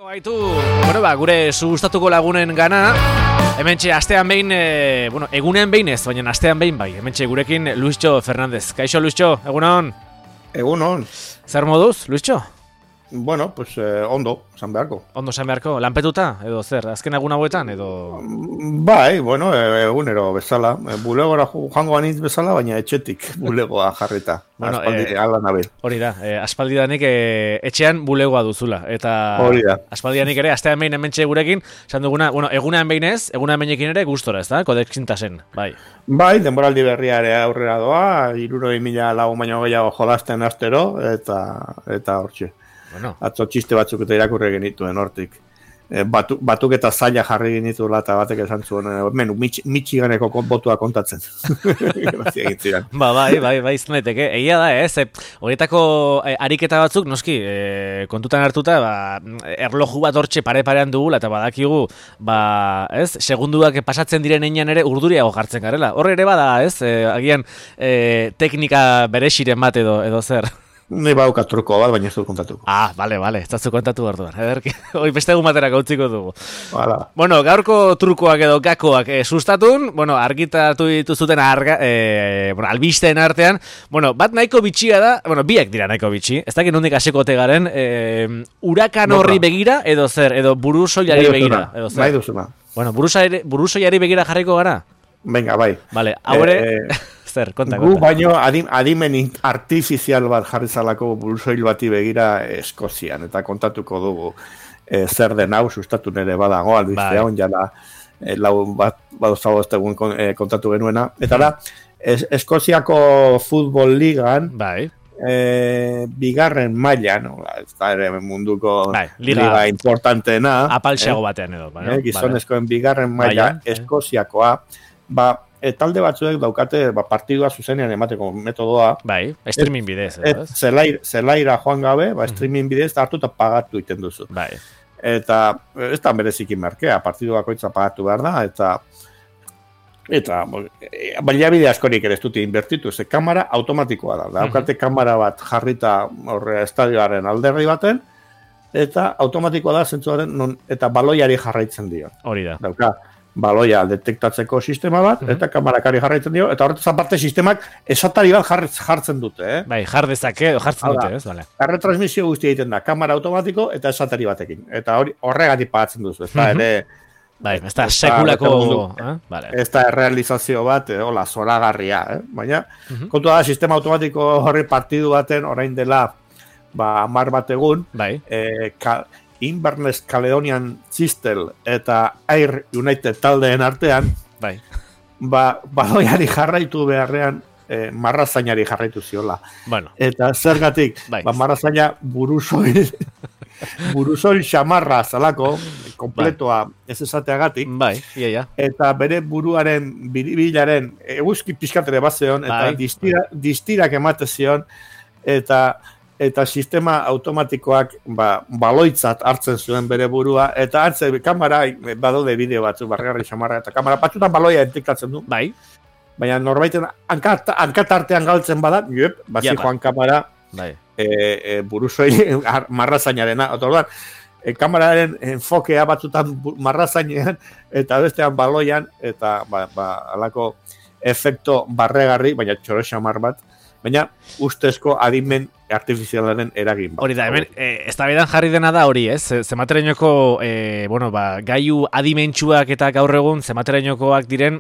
Baitu, gure sustatuko lagunen gana, hementxe astean behin, egunean behin ez, baina astean behin bai, hementxe gurekin Luischo Fernández. Kaixo Luischo, egunon? Egunon. Zer moduz, Luischo? Bueno, pues ondo, esan beharko. Ondo esan beharko, lanpetuta, edo zer, azken egun hauetan, edo... Bai, bueno, egunero bezala, bulegora joango anitz bezala, baina etxetik bulegoa jarrita. Bueno, aspaldi, ala nabil. Hori da, aspaldidanik etxean bulegoa duzula, eta hori da. Aspaldidanik ere, astean behin hementxe gurekin, esan duguna, egunean behin ez, egunean behinekin ere gustora, ez da, kodexintasen, bai. Bai, denboraldi berria ere aurrera doa, 60.000 lagun baino gehiago jolasten astero, eta hortxe. Bueno. Atzo txiste batzuk eta irakurri genituen hortik. Batuk eta zaila jarri genituela eta batek esan zuen, Michiganeko botua kontatzen. Bai, izaneteke. Egia da, ez? Horietako ariketa batzuk, noski, kontutan hartuta, erloju bat hortxe pare-parean dugula, eta badakigu, ez? Segunduak pasatzen diren einan ere urduriago jartzen garela. Horre ere bada, ez? Agian, teknika beresiren bat edo zer. Ni bauka truko bat, baina ez dut kontatuko. Bale, ez dut kontatu orduan. Hoi beste egun batera gautziko dugu. Hala. Bueno, gaurko trukoak edo gakoak sustatun, argitatu dituzuten albisteen artean, bat nahiko bitxia da, biak dira nahiko bitxi, ez dakit nondik hasiko ote garen, hurakan horri begira, edo zer, edo burusoilari begira. Bai duzuna. Burusoilari begira jarriko gara? Venga, bai. Vale, haure... Zer, konta. Gu baino adimen artifizial bat jarri zalako burusoil bati begira Eskozian, eta kontatuko dugu zer den hau sustatu nere badago, albistea hon jala lau bat badozago ez egun kontatu genuena. Eta da, Eskoziako futbol ligan, bigarren mailan, ez da ere munduko liga importanteena, apalxeago batean edo. Gizonezkoen bigarren maila Eskoziakoa, talde batzuek daukate partidua zuzenean emateko metodoa. Bai, streaming bidez. Zelaira joan gabe, streaming bidez hartu eta pagatu iten duzu. Bai. Eta ez da bereziki merkea, partidu bakoitza pagatu behar da, eta baliabide askorik ere ez dute inbertitu, ze kamera automatikoa da. Daukate kamera bat jarrita estadioaren alderri baten, eta automatikoa da zentzuaren eta baloiari jarraitzen dio. Hori da. Dauka, baloia detektatzeko sistema bat, eta kamarakari jarraitzen dio, eta horretaz aparte sistemak esatari bat jartzen dute. Bai, jartzen dute, ez? Vale. Erretransmisio guztia egiten da, kamera automatiko eta esatari batekin. Eta horregatik pagatzen duzu, ez da ere... Bai, ez da sekulako... Ez da errealizazio bat, zoragarria, baina, kontu da, sistema automatiko horri partidu baten, orain dela, 10 bat egun, Inverness Caledonian Chistel eta Air United taldeen artean, baloiari jarraitu beharrean, marrazainari jarraitu ziola. Bueno. Eta zergatik, marrazaina burusoil xamarra zalako, kompletoa ez esateagatik, eta bere buruaren biribilaren eguzki pixkatere bat zeon, eta distirak emate zion, eta sistema automatikoak baloitzat hartzen zuen bere burua, eta hartze kamera badaude bideo batzu, barrigarri xamarra, eta kamera batzutan baloia detektatzen du. Bai. Baina norbaiten hankatartean galtzen badak, joan kamera buruzoi marrazainarena. Otorduan, kameraren enfokea batzutan marrazainean, eta bestean baloian, eta alako efekto barregarri, baina txoro xamar bat, baina ustezko adimen artifizialaren eragin. Hori da, hemen, eztabaidan jarri dena da hori, ez? Zematerainoko, gaiu adimentsuak eta gaur egun zematerainokoak diren,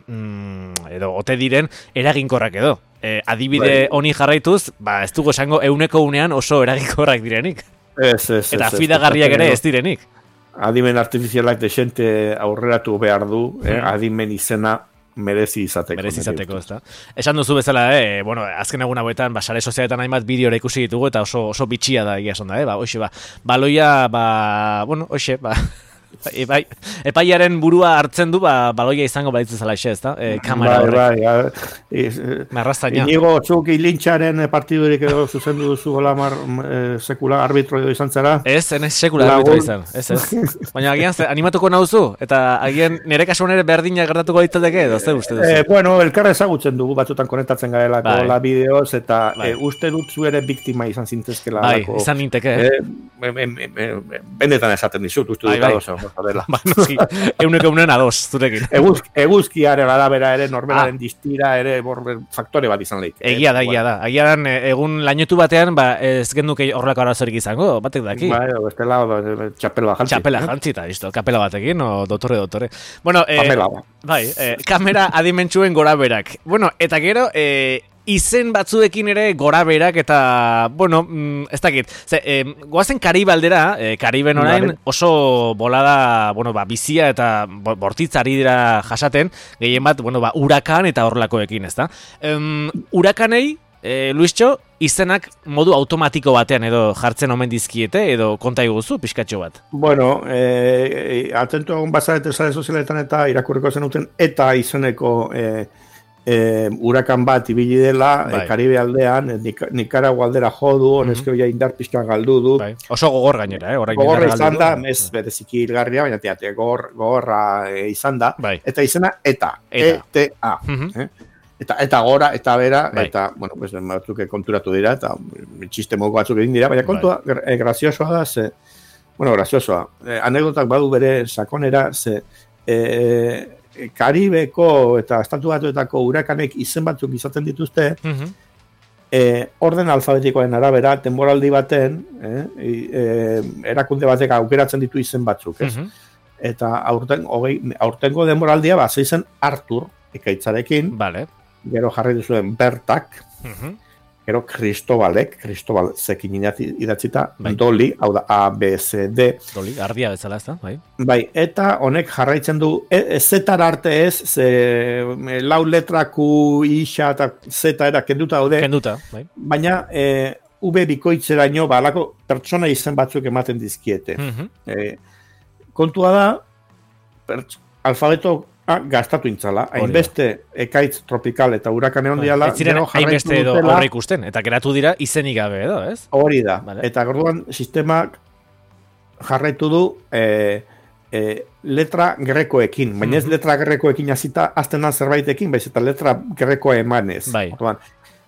edo ote diren, eraginkorrak edo. Adibide honi jarraituz, ez dugu esango euneko unean oso eraginkorrak direnik. Eta fidagarriak ere ez direnik. Adimen artifizialak desente aurreratu behar du, adimen izena merezi izateko. Ez da. Esan duzu bezala, azken egun hauetan, sare sozialetan hainbat bideora ikusi ditugu, eta oso bitxia da egia esan da, baloia, Epaiaren burua hartzen du, baloia izango balitzu zela xe, ez da? Kamera horrek. Marrastaina. Inigo Txuki Lintxaren partidurik edo zuzendu duzu gola sekula arbitro edo izan zara? Ez sekula arbitro izan, ez. Baina agian animatuko nauzu, eta agian nire kasuan ere berdina gertatuko ditateke edo, ze uste duzu? Bueno, elkarra ezagutzen dugu batzutan konektatzen garelako la bideoz, eta uste dut zu ere biktima izan zintezkela. Bai, izan ninteke. Benetan esaten dizut, uste dut adoz. Euneko adoz, zurekin. Eguzkiaren arabera ere, norberaren distira ere faktore bat izan lehik. Egia da. Egun lainotu batean, ez genduke horrelako arazorik izango, batek daki. Bestela, txapela jantzi. Txapela jantzi, eta kapela batekin, o dotore. Bueno, bai, kamera adimentsuen gora berak. Bueno, eta gero, izen batzuekin ere gora berak eta, bueno, ez dakit. Goazen Karibe aldera, Kariben orain oso bolada, bizia eta bortitzari dira jasaten, gehien bat, hurakan eta horrelakoekin, ez da. Hurakanei, Luistxo, izenak modu automatiko batean edo jartzen omen dizkiete edo konta iguzu, pixkatxo bat? Bueno, atentu egon bazarete sare sozialetan eta irakurriko zenuten eta izeneko hurakan bat ibili dela, Karibe aldean, Nicaragua aldera jodu, honezkeo ja indar pixka galdu du. Oso gogor gainera, gogorra izan da, ez bereziki hilgarria, baina gogorra izan da, eta izena eta. Eta gora, eta bera, eta, batzuk konturatu dira, eta txiste moko batzuk egin dira, baina kontua graziosoa da, graziosoa. Anekdotak badu bere sakonera, Karibeko eta Estatu Batuetako hurakanek izen batzuk izaten dituzte, orden alfabetikoen arabera, denboraldi baten, erakunde batek aukeratzen ditu izen batzuk, ez? Eta aurtengo denboraldia izen Artur, ekaitzarekin, gero jarri duzuen Bertak, gero Cristobal zekin idatzita, Doli, hau da A, B, C, D. Doli, ardia bezala ez da, bai. Bai, eta honek jarraitzen du, Z-tar arte ez, lau letra Q, I, X eta Z era kenduta daude. Bai. Baina, V bikoitzeraino, alako pertsona izen batzuk ematen dizkiete. Kontua da, alfabeto gastatu intzala, hainbeste ekaitz tropikal eta hurakane hondiala. Ez ziren hainbeste edo horre ikusten, eta geratu dira izenik gabe edo, ez? Hori da, eta gorduan sistemak jarraitu du letra grekoekin, baina ez letra grekoekin azita aztenan zerbaitekin, baiz eta letra grekoa emanez.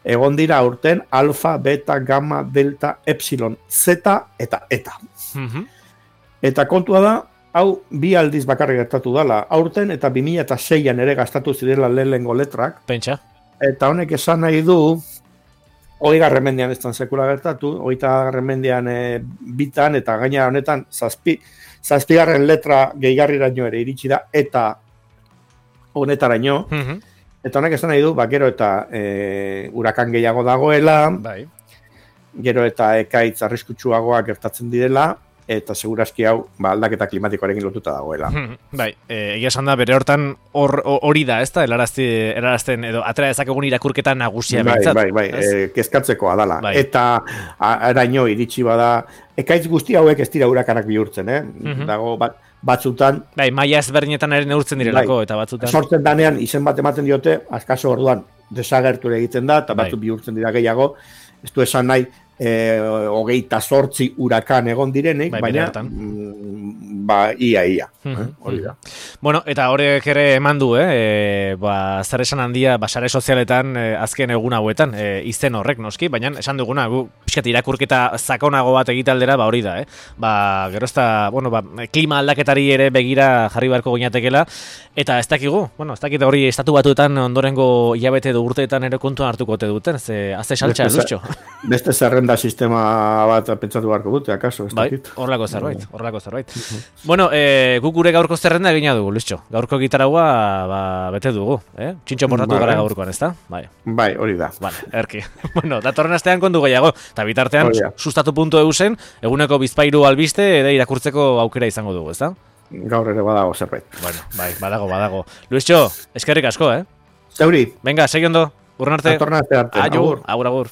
Egon dira aurten alfa, beta, gamma, delta, epsilon, zeta eta eta. Eta kontua da, hau bi aldiz bakarrik gertatu dela, aurten eta 2006an ere gastatu zirela lehenengo letrak. Pentsa. Eta honek esan nahi du, 20. mendean ez dan sekula gertatu, 20. mendean bitan, eta gaina honetan zazpigarren letra gehigarriraino ere iritsi da, eta honetaraino. Eta honek esan nahi du, gero eta hurakan gehiago dagoela, gero eta ekaitz arriskutsuagoa gertatzen direla, eta segurazki hau aldaketa klimatikoarekin lotuta dagoela. Egia esan da, bere hortan hori da, ez da, helarazten edo atera dezakegun irakurketa nagusia behintzat. Kezkatzekoa dala. Eta araino iritsi bada, ekaitz guzti hauek ez dira hurakanak bihurtzen, dago batzutan. Maia ezberdinetan ere neurtzen direlako, eta batzutan. Sortzen danean, izen bat ematen diote, azkaso orduan desagerture egiten da, eta batzuk bihurtzen dira gehiago, ez du esan nahi, 28 hurakan egon direnek, baina ia. Hori da. Bueno, eta horiek ere eman du, zer esan handia sare sozialetan azken egun hauetan, izen horrek noski, baina esan duguna, pixkat irakurketa sakonago bat egitaldera, hori da, gero ez da, klima aldaketari ere begira jarri beharko ginatekela, eta ez dakigu, ez dakit hori Estatu Batuetan ondorengo hilabete edo urteetan ere kontuan hartuko ote duten, azte saltza, Luztxo. Beste zerrenda sistema bat pentsatu beharko dute, akaso, ez dakit. Horrelako zerbait. Bueno, guk gure gaurko zerrenda egina dugu, Luztxo. Gaurko gitaragua bete dugu, txintxo portatu gara gaurkoan, ez da? Bai, hori da. Erki. Bueno, datorren astean kondu gehiago, eta bitartean sustatu.eu zen, eguneko bizpairu albiste, ere irakurtzeko aukera izango dugu, ez da? Gaur ere badago zerbait. Bueno, badago. Luztxo, eskerrik asko, Zeuri. Venga, segi ondo, urren arte. Datorren arte arte. Agur.